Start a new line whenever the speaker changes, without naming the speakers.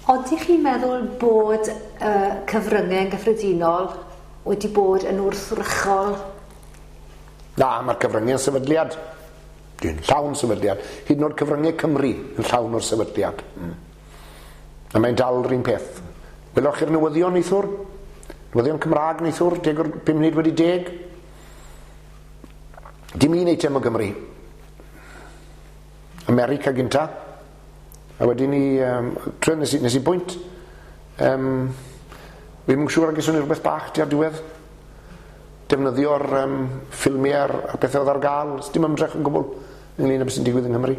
Odych chi'n meddwl bod y cyfryngau yn gyffredinol wedi bod yn wrthrychol?
Na, mae'r cyfryngau yn sefydliad. Dwi'n llawn sefydliad. Hyd yn oed cyfryngau Cymru yn llawn o'r sefydliad. A mae'n dal yr un peth. Welwch chi'r newyddion neithiwr? Newyddion Cymraeg neithiwr, 10:50. Dim un eitem o Gymru. America gynta. A wedyn ni, tre, nes i bwynt, fi'n yn siŵr ag ni rhywbeth bach tua'r diwedd. Defnyddio'r ffilmiau a'r pethau oedd ar gael. Dim ymdrech yn gwbl ynglyn â beth sy'n digwydd yng Nghymru.